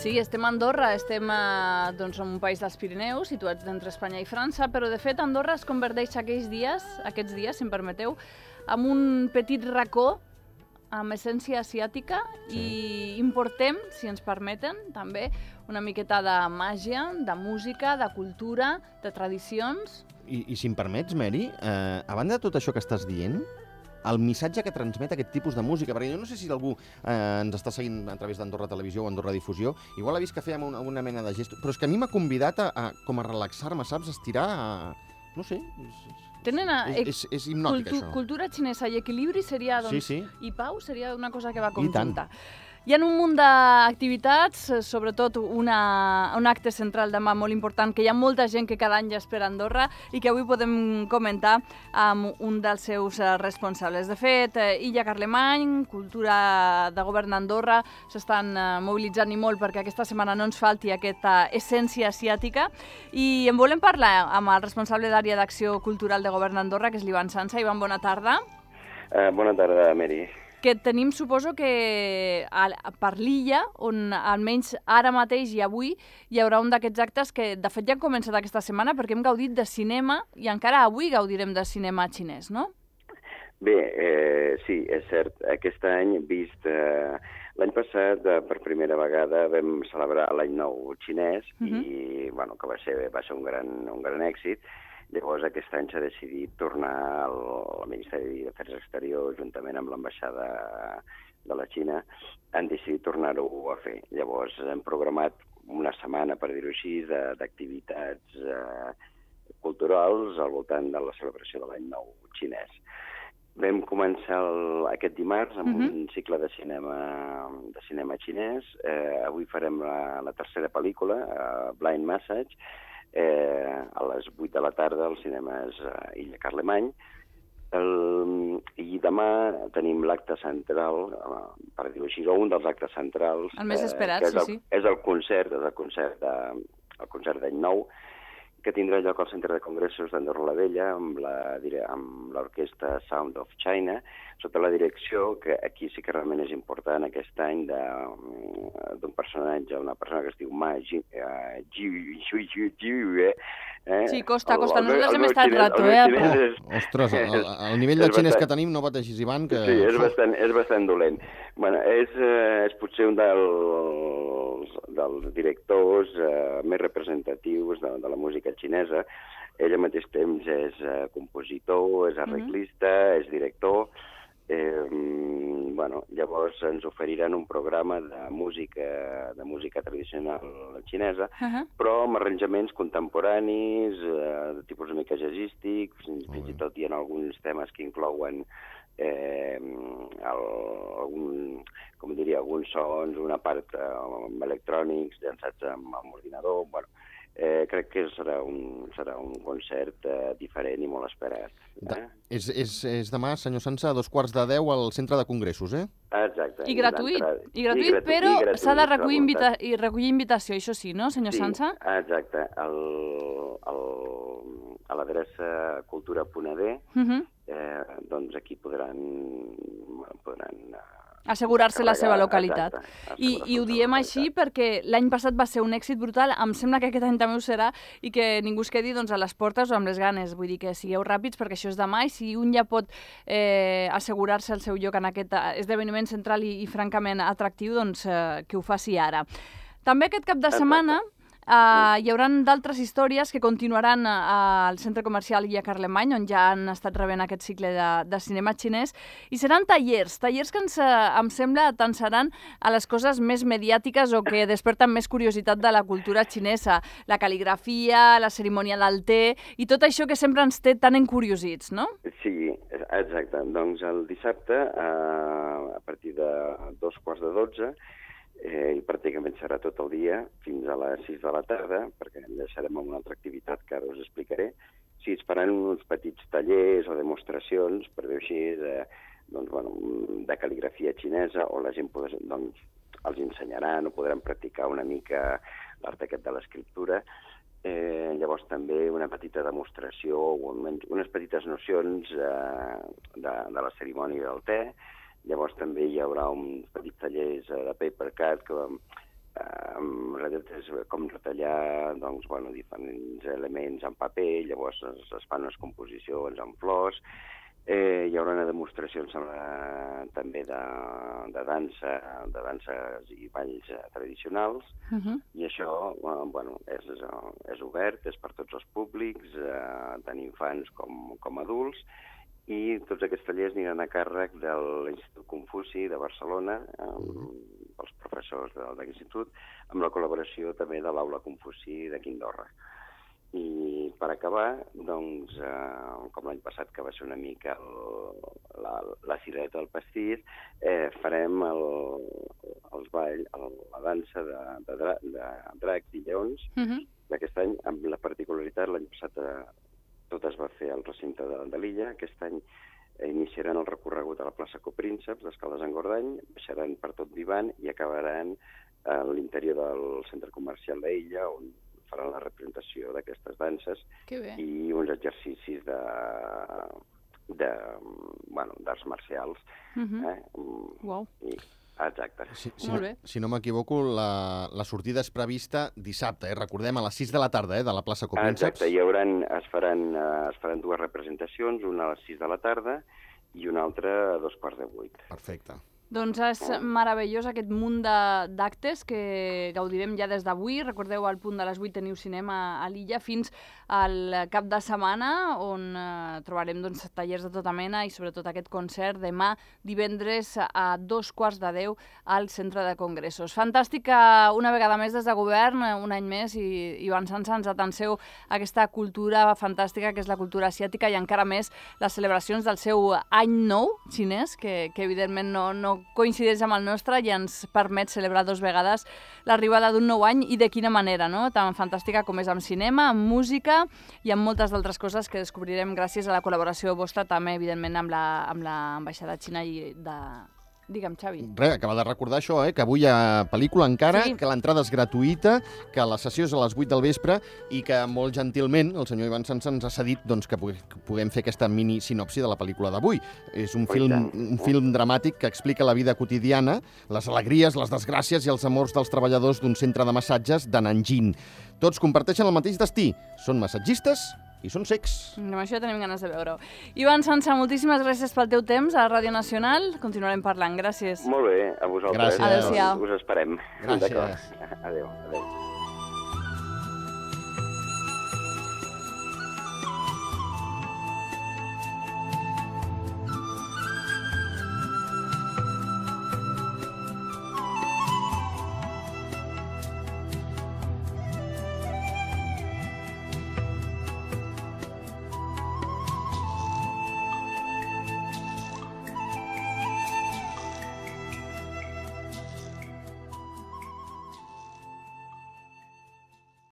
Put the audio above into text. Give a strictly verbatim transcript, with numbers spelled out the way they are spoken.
Sí, estem a Andorra, estem a, doncs, en un país dels Pirineus, situats entre Espanya i França, però de fet Andorra es converteix aquells dies, aquests dies, si em permeteu, en un petit racó amb essència asiàtica sí. i importem, si ens permeten, també una miqueta de màgia, de música, de cultura, de tradicions. I, i si em permets, Mary, eh, a banda de tot això que estàs dient, el missatge que transmet aquest tipus de música, perquè jo no sé si algú eh, ens està seguint a través d'Andorra Televisió o Andorra Difusió, igual ha vist que fèiem una, una mena de gest, però és que a mi m'ha convidat a, a, com a relaxar-me, saps? Estirar, a... no sé... És, Tenen a, és, és, és hipnòtic, cultu, això. Cultura xinesa i equilibri seria, doncs, sí, sí. i pau seria una cosa que va conjunta. Hi ha un munt d'activitats, sobretot una, un acte central demà molt important, que hi ha molta gent que cada any ja espera a Andorra i que avui podem comentar amb un dels seus responsables. De fet, Illa Carlemany, Cultura de Govern d'Andorra, s'estan mobilitzant i molt perquè aquesta setmana no ens falti aquesta essència asiàtica. I en volem parlar amb el responsable d'àrea d'acció cultural de Govern d'Andorra, que és l'Ivan Sansa. Ivan, bona tarda. Uh, bona tarda, Mary. Que tenim, suposo que a, per l'illa, on almenys ara mateix i avui hi haurà un d'aquests actes que de fet ja han començat aquesta setmana perquè hem gaudit de cinema i encara avui gaudirem de cinema xinès, no? Bé, eh, sí, és cert. Aquest any hem vist... Eh, l'any passat, eh, per primera vegada, vam celebrar l'any nou xinès uh -huh. i, bueno, que va ser, va ser un gran, un gran èxit. Llavors, aquest any s'ha decidit tornar al, al Ministeri d'Afers Exteriors, juntament amb l'ambaixada de la Xina, han decidit tornar-ho a fer. Llavors, hem programat una setmana, per dir-ho així, d'activitats eh, culturals al voltant de la celebració de l'any nou xinès. Vam començar el, aquest dimarts amb uh-huh. un cicle de cinema, de cinema xinès. Eh, avui farem la, la tercera pel·lícula, eh, Blind Message, Eh, a les vuit de la tarda al cinema és uh, Illa Carlemany. El, I demà tenim l'acte central, uh, per dir-ho així, un dels actes centrals. El més esperat, eh, és el, sí, sí. És el concert, és el concert de, el concert d'any nou, que tindrà lloc al Centre de Congressos d'Andorra la Vella amb la, amb l'orquestra Sound of China, sota la direcció, que aquí sí que realment és important aquest any, d'un personatge, una persona que es diu Ma Ji, uh, Ji, Ji, Ji, Ji, eh? Sí, costa, costa. Nosaltres hem estat rato, eh? Oh, ostres, el, el nivell de xinès que tenim no pateixis, Ivan, que... Sí, és bastant, és bastant dolent. Bueno, és, eh, és potser un dels, dels directors eh, més representatius de, de la música xinesa. Ell al mateix temps és eh, compositor, és arreglista, mm-hmm. és director. Eh, bueno, llavors ens oferiran un programa de música, de música tradicional xinesa, uh-huh. però amb arranjaments contemporanis, eh, de tipus una mica jazzístic, fins, fins i tot hi ha alguns temes que inclouen eh, el, algun, com diria, alguns sons, una part eh, amb electrònics, llançats amb, amb ordinador, bueno, Eh, crec que serà un, serà un concert eh, diferent i molt esperat. Eh? De, és, és, és demà, senyor Sansa, a dos quarts de deu al Centre de Congressos, eh? Exacte. I gratuït, i gratuït, I gratu però s'ha de recollir, invita i recollir invitació, això sí, no, senyor sí, Sansa? Exacte. El, el, a l'adreça cultura punt a d, uh-huh. eh, doncs aquí podran... podran assegurar-se la seva localitat. Exacte, I, I ho diem així perquè l'any passat va ser un èxit brutal, em sembla que aquest any també ho serà, i que ningú es quedi doncs, a les portes o amb les ganes. Vull dir que sigueu ràpids perquè això és demà i si un ja pot eh, assegurar-se el seu lloc en aquest esdeveniment central i, i francament atractiu, doncs eh, que ho faci ara. També aquest cap de setmana... Uh, hi haurà d'altres històries que continuaran uh, al centre comercial Illa Carlemany, on ja han estat rebent aquest cicle de, de cinema xinès, i seran tallers, tallers que ens, uh, em sembla tant seran a les coses més mediàtiques o que desperten més curiositat de la cultura xinesa, la cal·ligrafia, la cerimònia del te, i tot això que sempre ens té tan encuriosits, no? Sí, exacte. Doncs el dissabte, uh, a partir de dos quarts de dotze, Eh, i pràcticament serà tot el dia fins a les sis de la tarda, perquè en deixarem amb una altra activitat que ara us explicaré. Sí, es faran uns petits tallers o demostracions, per dir-ho així, de, doncs, bueno, de cal·ligrafia xinesa, o la gent podrà, doncs, els ensenyaran o podran practicar una mica l'art aquest de l'escriptura. Eh, llavors també una petita demostració o unes petites nocions eh, de, de la cerimònia del te. Llavors també hi haurà uns petits tallers de paper cut que en realitat és com retallar doncs, bueno, diferents elements en paper, llavors es, es fan unes composicions en flors. Eh, hi haurà demostracions eh, també de, de dansa, de danses i balls eh, tradicionals, uh -huh. i això eh, bueno, és, és obert, és per tots els públics, eh, tant infants com, com adults, i tots aquests tallers aniran a càrrec de l'Institut Confuci de Barcelona, eh, els professors d'aquest institut, amb la col·laboració també de l'Aula Confuci de Quindorra. I per acabar, doncs, eh, com l'any passat, que va ser una mica el, la, la cireta del pastís, eh, farem el, els ball, el, la dansa de, de, dra, de dracs i lleons uh -huh. d'aquest any, amb la particularitat, l'any passat eh, tot es va fer al recinte de, de l'illa, aquest any eh, iniciaran el recorregut a la plaça Coprínceps d'Escaldes-Engordany, baixaran per tot Vivan i acabaran a l'interior del centre comercial d'Illa, on faran la representació d'aquestes danses i uns exercicis de, de bueno, d'arts marcials. Uh-huh. eh? Wow. I, exacte. Si, si, no, si no m'equivoco, la, la sortida és prevista dissabte, eh? Recordem, a les sis de la tarda, eh? De la plaça Coprínceps. Exacte, hi hauran, es, faran, es faran dues representacions, una a les sis de la tarda i una altra a dos quarts de vuit. Perfecte. Doncs és meravellós aquest munt d'actes que gaudirem ja des d'avui. Recordeu, al punt de les vuit teniu cinema a l'illa fins al cap de setmana, on eh, trobarem doncs, tallers de tota mena i sobretot aquest concert demà divendres a dos quarts de deu al Centre de Congressos. Fantàstic que una vegada més des de govern, un any més, i, i avançant ens atanseu aquesta cultura fantàstica que és la cultura asiàtica i encara més les celebracions del seu any nou xinès, que, que evidentment no, no coincideix amb el nostre i ens permet celebrar dos vegades l'arribada d'un nou any i de quina manera, no? Tan fantàstica com és amb cinema, amb música i amb moltes d'altres coses que descobrirem gràcies a la col·laboració vostra també, evidentment, amb la, amb l'ambaixada xina i de... Digue'm, Xavi. Res, acaba de recordar això, eh? Que avui hi ha pel·lícula encara, sí. Que l'entrada és gratuïta, que la sessió és a les vuit del vespre i que molt gentilment el senyor Ivan Sanz ens ha cedit doncs, que puguem fer aquesta mini sinopsi de la pel·lícula d'avui. És un film, un film dramàtic que explica la vida quotidiana, les alegries, les desgràcies i els amors dels treballadors d'un centre de massatges de Nanjing. Tots comparteixen el mateix destí, són massatgistes i són secs. Amb això tenim ganes de veure-ho. Ivan Sanz, moltíssimes gràcies pel teu temps a Ràdio Nacional. Continuarem parlant. Gràcies. Molt bé, a vosaltres. Gràcies. Adéu-siau. Us esperem. Gràcies. Adéu, adéu.